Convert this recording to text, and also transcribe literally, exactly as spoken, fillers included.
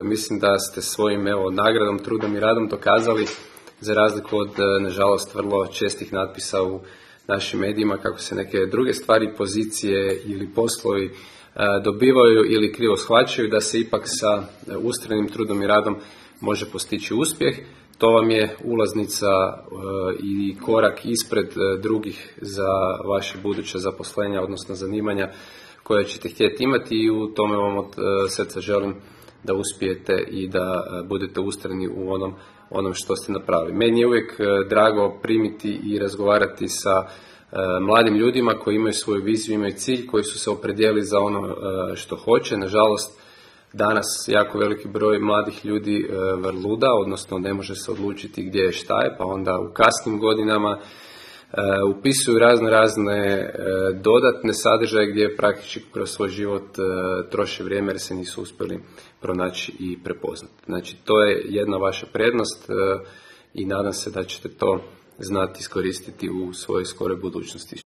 Mislim da ste svojim evo, nagradom, trudom i radom dokazali, za razliku od, nažalost, vrlo čestih natpisa u našim medijima, kako se neke druge stvari, pozicije ili poslovi dobivaju ili krivo shvaćaju, da se ipak sa ustrajnim trudom i radom može postići uspjeh. To vam je ulaznica i korak ispred drugih za vaše buduće zaposlenja, odnosno zanimanja koje ćete htjeti imati, i u tome vam od srca želim da uspijete i da budete ustrajni u onom, onom što ste napravili. Meni je uvijek drago primiti i razgovarati sa mladim ljudima koji imaju svoju viziju, imaju cilj, koji su se opredijelili za ono što hoće. Nažalost, danas jako veliki broj mladih ljudi vrluda, odnosno ne može se odlučiti gdje je, šta je, pa onda u kasnim godinama upisuju razne razne dodatne sadržaje gdje praktički kroz svoj život troše vrijeme jer se nisu uspjeli pronaći i prepoznati. Znači, to je jedna vaša prednost i nadam se da ćete to znati iskoristiti u svojoj skoroj budućnosti.